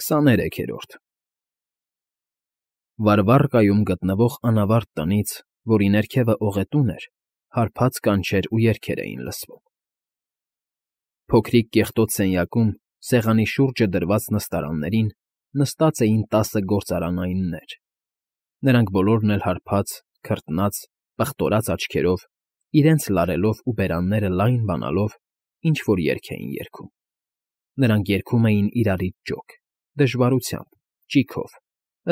23-րդ Վարվառկայում գտնվող անավարտ տնից, որի ներքևը օղետուն էր, հարբած կանչեր ու երգեր էին լսվում. փոքրիկ կեղտոտ սենյակում, սեղանի շուրջը դրված նստարաններին նստած էին 10 գործարանայիններ. նրանք բոլորն էլ հարբած, քրտնած, պղտորած աչքերով, իրենց լարելով ու բերանները լայն բանալով, ինչ֊որ երգ էին երգում. նրանք երգում էին իրարից ջոկ, դժվարությամբ, ճիգով,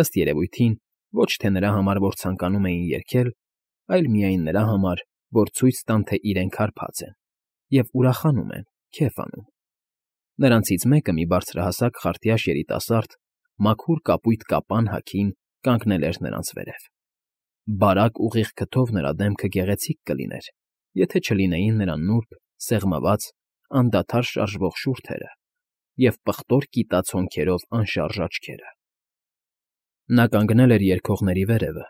ըստ երևույթին, ոչ թե նրա համար, որ ցանկանում էին երգել, այլ միայն նրա համար, որ ցույց տան, թե իրենք հարբած են, և ուրախանում են, քեֆ անում. նրանցից մեկը, մի բարձրահասակ խարտյաշ երիտասարդ, մաքուր կապույտ կապան հագին, կանգնել էր նրանց վերև. բարակ ուղիղ քթով նրա դեմքը գեղեցիկ կլիներ, եթե չլինեին նրա նուրբ, սեղմված, անդադար շարժվող շուրթերը և պղտոր կիտած հոնքերով անշարժ աչքերը. նա կանգնել էր երգողների վերևը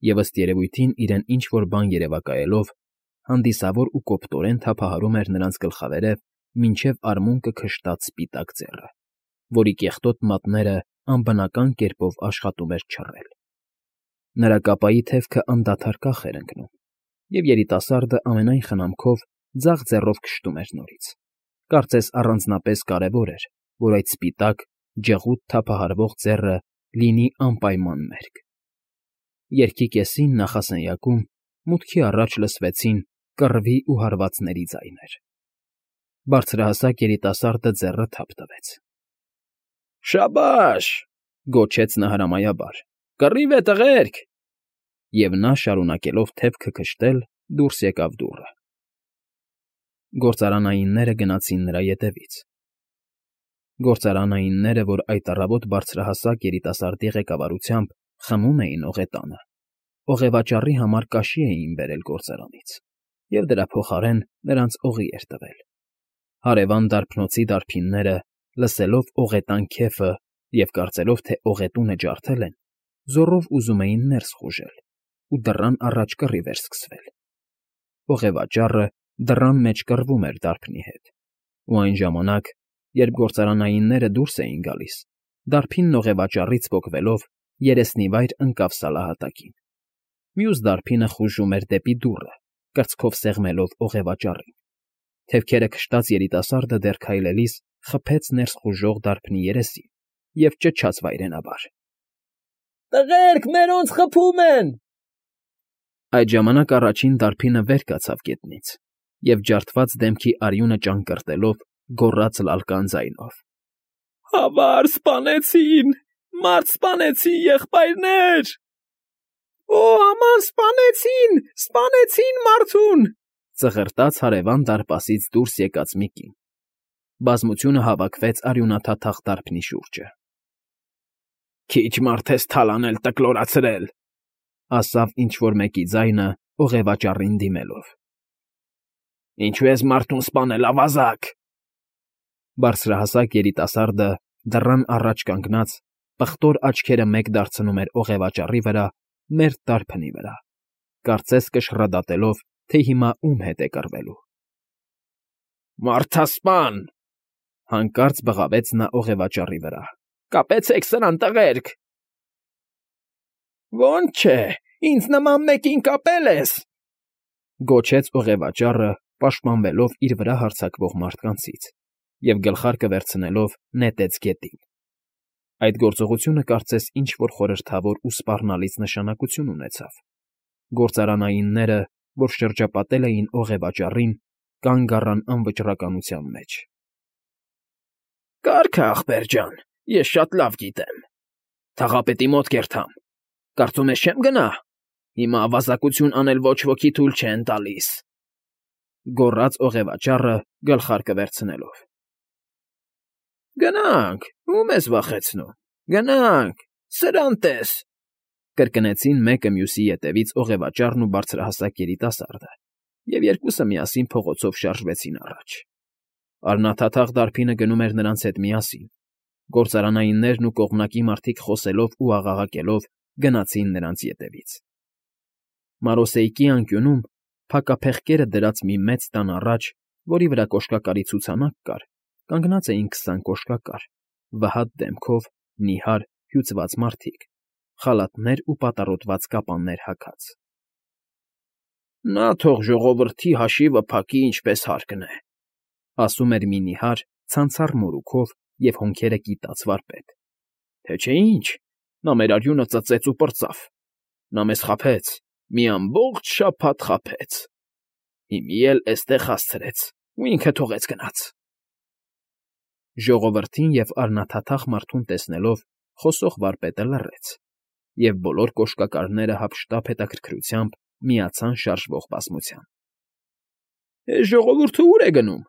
և, ըստ երևույթին, իրեն ինչ֊որ բան երևակայելով, հանդիսավոր ու կոպտորեն թափահարում էր նրանց գլխավերև մինչև արմունկը քշտած սպիտակ ձեռը, որի կեղտոտ մատները անբնական կերպով աշխատում էր չռել. նրա կապայի թևքը անդադար կախ էր ընկնում, և երիտասարդը ամենայն խնամքով ձախ ձեռով քշտում էր նորից, կարծես առանձնապես կարևոր էր, որ այդ սպիտակ, ջղուտ թափահարվող ձեռը լինի անպայման մերկ. երգի կեսին նախասենյակում մուտքի առաջ լսվեցին կռվի ու հարվածների ձայներ. բարձրահասակ երիտասարդը ձեռը թափ տվեց. «Շաբաշ!» գոչեց նա հրամայաբար. «Կռիվ է, տղերք!» և նա, շարունակելով թևքը քշտել, դուրս եկավ դուռը. Գործարանայինները գնացին նրա ետևից. գործարանայինները, որ այդ առավոտ բարձրահասակ երիտասարդի ղեկավարությամբ խմում էին օղետանը, օղևաճառի համար կաշի էին բերել գործարանից, և դրա փոխարեն նրանց օղի էր տվել. հարևան դարբնոցի դարբինները, լսելով օղետան քեֆը և կարծելով, թե օղետունը ջարդել են, զոռով ուզում էին ներս խուժել, ու դռան առաջ կռիվ էր սկսվել. օղևաճառը դռան մեջ կռվում էր դարբնի հետ, ու այն ժամանակ, երբ գործարանայինները դուրս էին գալիս, դարբինն օղևաճառից պոկվելով երեսնիվայր ընկավ սալահատակին. մյուս դարբինը խուժում էր դեպի դուռը, կրծքով սեղմելով օղևաճառին. թևքերը քշտած երիտասարդը դեռ քայլելիս խփեց ներս խուժող դարբնի երեսին և ճչաց վայրենաբար. «Տղերք, մերոնց խփում են»։ Այդ ժամանակ առաջին դարբինը վեր կացավ գետնից և ջարդված դեմքի արյունը ճանկռտելով գոռաց լալկան ձայնով. «Ավար, սպանեցին, մարդ սպանեցին, եղբայրներ»։ «Օ, աման, սպանեցին մարդուն», ծղրտաց հարևան դարպասից դուրս եկած մի կին. բազմությունը հավաքվեց արյունաթաթախ դարբնի շուրջը։ «Քիչ մարդ ես թալանել տկլորացրել», ասավ ինչ֊որ մեկի ձայնը օղևաճառին դիմելով։ «Ինչու ես մարդուն սպանել, ավազակ»։ Բարձրահասակ երիտասարդը դռան առաջ կանգնած, պղտոր աչքերը մեկ դարձնում էր օղևաճառի վրա, մերթ դարբնի վրա, կարծես կշռադատելով, թե հիմա ում հետ է կռվելու։ «Մարդասպան», հանկարծ բղավեց նա օղևաճառի վրա, «կապեցեք սրան, տղերք»։ «Ոնց չէ, ինձ նման մեկին կապել ես», գոչեց օղևաճառը, պաշտպանվելով իր վրա հարձակվող մարդկանցից, և գլխարկը վերցնելով նետեց գետին. այդ գործողությունը կարծես ինչ֊որ խորհրդավոր ու սպառնալից նշանակություն ունեցավ. գործարանայինները, որ շրջապատել էին օղևաճառին, կանգ առան անվճռականության մեջ։ «Կարգ է, ախպեր ջան, ես շատ լավ գիտեմ. թաղապետի մոտ կերթամ, կարծում ես չեմ գնա, հիմա ավազակություն անել ոչ ոքի թույլ չեն տալիս», գոռաց օղևաճառը, գլխարկը վերցնելով։ «Գնանք, ում ես վախեցնում, գնանք, սրան տես», կրկնեցին մեկը մյուսի ետևից օղևաճառն ու բարձրահասակ երիտասարդը, և երկուսը միասին փողոցով շարժվեցին առաջ։ Առնաթաթախ դարբինը գնում էր նրանց հետ միասին, գործարանայիններն ու կողմնակի մարդիկ խոսելով ու աղաղակելով գնացին նրանց ետևից։ Մարոսեյկի անկյունում, փակափեղկերը դրած մի մեծ տան առաջ, որի վրա կոշկակարի ցուցանակ կար, կանգնած էին 20 կոշկակար, վհատ դեմքով, նիհար, հյուծված մարդիկ, խալաթներ ու պատառոտված կապաններ հագած։ «Նա թող ժողովրդի հաշիվը փակի ինչպես հարկն է», ասում էր մի նիհար, ցանցառ մորուքով և հոնքերը կիտած վարպետ։ «Թե չէ ինչ, նա մեր արյունը ծծեց ու պրծավ, նա մեզ խաբեց, մի ամբողջ շաբաթ խաբեց, հիմի էլ էստեղ հասցրեց ու ինքը թողեց գնաց»։ Ժողովրդին և առնաթաթախ մարդուն տեսնելով խոսող վարպետը լռեց, և բոլոր կոշկակարները հափշտապ հետաքրքրությամբ միացան շարժվող բազմության։ «Էս ժողովուրդը ո՞ւր է գնում»։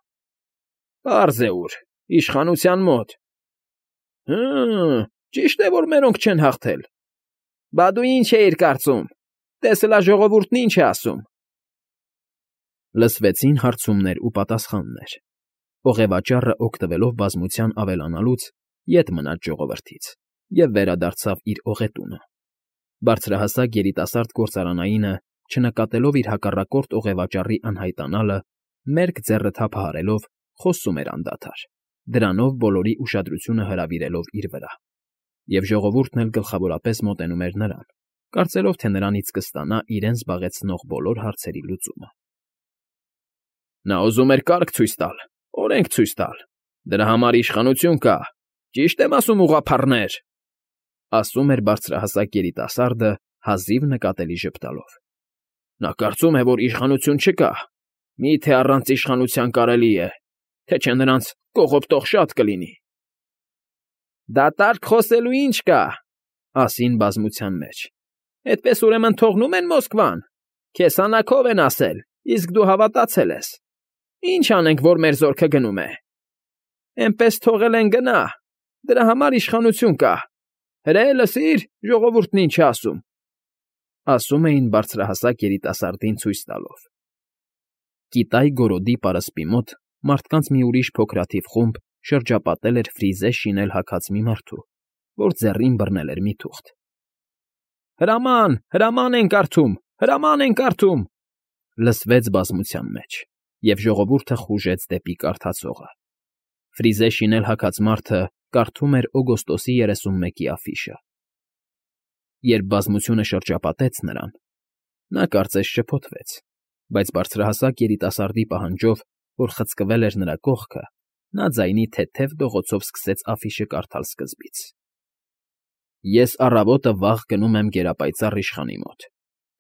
«Պարզ է ուր, իշխանության մոտ»։ «Հը, ճիշտ է, որ մերոնք չեն հաղթել»։ «Բա դու ինչ էիր կարծում, տեսլա ժողովուրդն ինչ է ասում»։ Լսվեցին հարցումներ ու պատասխաններ։ Օղևաճառը, օգտվելով բազմության ավելանալուց, ետ մնաց ժողովրդից և վերադարձավ իր օղետունը։ Բարձրահասակ երիտասարդ գործարանայինը, չնկատելով իր հակառակորդ օղևաճառի անհայտանալը, մերկ ձեռը թափահարելով, խոսում էր անդադար, դրանով բոլորի ուշադրությունը հրավիրելով իր վրա։ Եվ ժողովուրդն էլ գլխավորապես մոտենում էր նրան, կարծելով, թե նրանից կստանա իրեն զբաղեցնող բոլոր հարցերի լուծումը։ Նա ուզում էր կարգ ցույց տալ, օրենք ցույց տալ, դրա համար իշխանություն կա, ճիշտ եմ ասում, ուղղափառներ, ասում էր բարձրահասակ երիտասարդը, հազիվ նկատելի ժպտալով։ Նա կարծում է, որ իշխանություն չկա, միթե առանց իշխանության կարելի է, թե չէ նրանց կողոպտող շատ կլինի։ Դատարկ խոսելու ինչ կա, ասին բազմության մեջ։ Այդպես ուրեմն թողնում են Մոսկվան, քեզ հանակով են ասել, իսկ դու հավատացել ես։ Ինչ անենք, որ մեր զորքը գնում է։ Էնպես թողել են գնա, դրա համար իշխանություն կա։ Հրե լսիր, ժողովուրդն ինչ է ասում, ասում էին բարձրահասակ երիտասարդին ցույց տալով։ Կիտայ գորոդի պարսպի մոտ մարդկանց մի ուրիշ փոքրաթիվ խումբ շրջապատել էր ֆրիզե շինել հագած մի մարդու, որ ձեռին բռնել էր մի թուղթ։ Հրաման, հրաման են կարդում, հրաման են կարդում, լսվեց բազմության մեջ, և ժողովուրդը խուժեց դեպի կարդացողը։ Ֆրիզե շինել հագած մարդը կարդում էր օգոստոսի 31-ի աֆիշը։ Երբ բազմությունը շրջապատեց նրան, նա կարծես շփոթվեց, բայց բարձրահասակ երիտասարդի պահանջով, որ խցկվել էր նրա կողքը, նա ձայնի թեթև դողոցով սկսեց աֆիշը կարդալ սկզբից։ Ես առավոտը վաղ գնում եմ գերապայծառ իշխանի մոտ,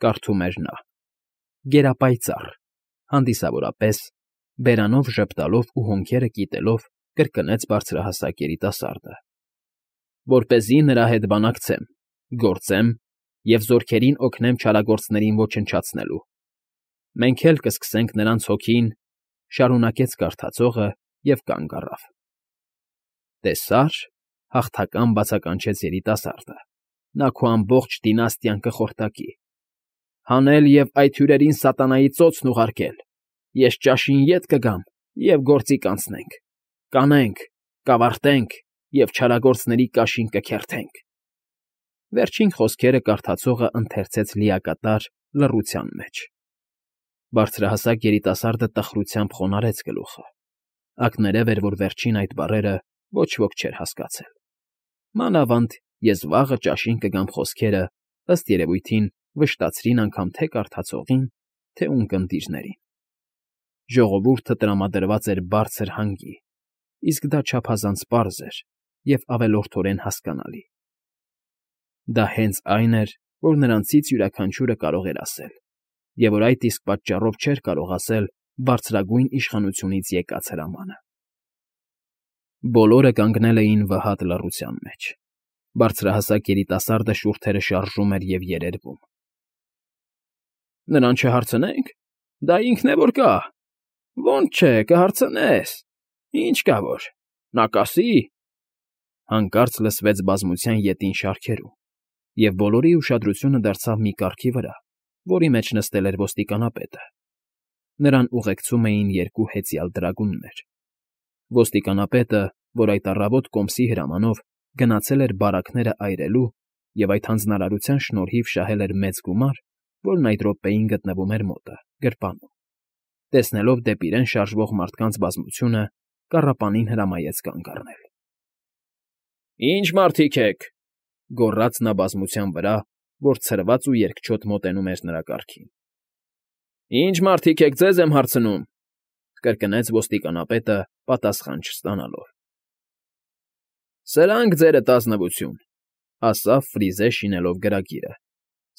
կարդում էր նա։ Գերապայծառ, հանդիսավորապես, բերանով ժպտալով ու հոնքերը կիտելով, կրկնեց բարձրահասակ երիտասարդը։ Որպեսզի նրա հետ բանակցեմ, գործեմ և զորքերին օգնեմ չարագործներին ոչնչացնելու։ Մենք էլ կսկսենք նրանց հոգին, շարունակեց կարդացողը և կանգ առավ։ Տեսա՞ր, հաղթական բացականչեց երիտասարդը, նա քո ամբողջ դինաստիան կխորտակի։ Հանել և այդ հյուրերին սատանայի ծոցն ուղարկել, ես ճաշին ետ կգամ և գործի կանցնենք, կանենք, կավարտենք և չարագործների կաշին կքերթենք։ Վերջին խոսքերը կարդացողը ընթերցեց լիակատար լռության մեջ։ Բարձրահասակ երիտասարդը տխրությամբ խոնարհեց գլուխը։ Ակներև էր, որ վերջին այդ բառերը ոչ ոք չէր հասկացել։ Մանավանդ ես վաղը ճաշին կգամ խոսքերը, ըստ երևույթին, վշտացրին անգամ թե կարդացողին, թե ունկնդիրներին։ Ժողովուրդը տրամադրված էր բարձր հանգի, իսկ դա չափազանց պարզ էր և ավելորդորեն հասկանալի։ Դա հենց այն էր, որ նրանցից յուրաքանչյուրը կարող էր ասել, և որ այդ իսկ պատճառով չէր կարող ասել բարձրագույն իշխանությունից եկած հրամանը։ Բոլորը կանգնել էին վհատ լռության մեջ։ Բարձրահասակ երիտասարդը շուրթերը շարժում էր և երերվում։ Նրան չհարցնենք, դա ինքն է որ կա։ Ոնց չէ, կհարցնես, ինչ կա որ, նա կասի։ Հանկարծ լսվեց բազմության ետին շարքերում, և բոլորի ուշադրությունը դարձավ մի կառքի վրա, որի մեջ նստել էր ոստիկանապետը։ Նրան ուղեկցում էին երկու հեծյալ դրագուններ։ Ոստիկանապետը, որ այդ առավոտ կոմսի հրամանով գնացել էր բարակները այրելու և այդ հանձնարարության շնորհիվ շահել էր մեծ գումար, որն այդ րոպեին գտնվում էր մոտը, գրպանում, տեսնելով դեպի իրեն շարժվող մարդկանց բազմությունը, կառապանին հրամայեց կանգ առնել։ Ի՞նչ մարդիկ եք,֊ գոռաց նա բազմության վրա, որ ցրված ու երկչոտ մոտենում էր նրա կառքին։ ֊ Ի՞նչ մարդիկ եք, ձեզ եմ հարցնում,֊ կրկնեց ոստիկանապետը պատասխան չստանալով։ ֊ Սրանք ձերդ ազնվություն,֊ ասաց Ֆրիզը շինելով գրագիրը։ ֊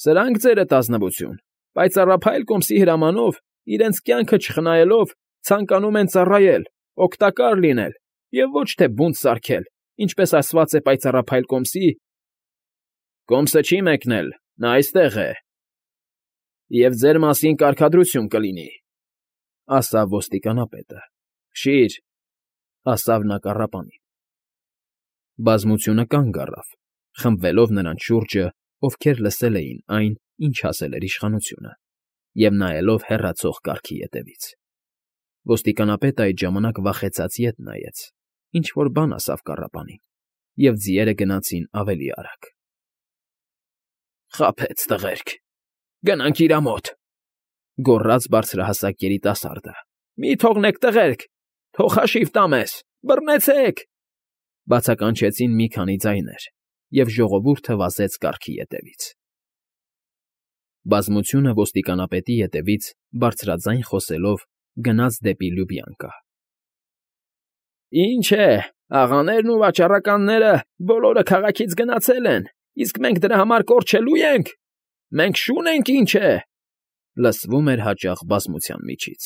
Սրանք ձերդ ազնվություն, պայծառափայլ կոմսի հրամանով, իրենց կյանքը չխնայելով, ցանկանում են ծառայել, օգտակար լինել և ոչ թե բունտ սարքել, ինչպես ասված է պայծառափայլ կոմսի։ ֊ Կոմսը չի մեկնել, նա այստեղ է։ ֊ Եվ ձեր մասին կարգադրություն կլինի,֊ ասաց ոստիկանապետը։ ֊ Քշի՛ր,֊ ասաց նա կառապանին։ Բազմությունը կանգ առավ, խմբվելով նրանց շուրջը, ովքեր լսել էին այն, ինչ ասել էր իշխանությունը, և նայելով հեռացող կառքի ետևից։ Ոստիկանապետը այդ ժամանակ վախեցած ետ նայեց, ինչ֊որ բան ասավ կառապանին, և ձիերը գնացին ավելի արագ։ ֊ Խաբեց, տղերք, գնանք իրա մոտ,֊ գոռաց բարձրահասակ երիտասարդը։ ֊ Մի թողնեք, տղերք, թող հաշիվ տա մեզ, բռնեցեք,֊ բացականչեցին մի քանի ձայներ, և ժողովուրդը վազեց կառքի ետևից։ Բազմությունը ոստիկանապետի ետևից բարձրաձայն խոսելով գնաց դեպի Լյուբյանկա։ ֊ Ինչ է, աղաներն ու վաճառականները բոլորը քաղաքից գնացել են, իսկ մենք դրա համար կորչելո՞ւ ենք։ Մենք շուն ենք, ինչ է,֊ լսվում էր հաճախ բազմության միջից։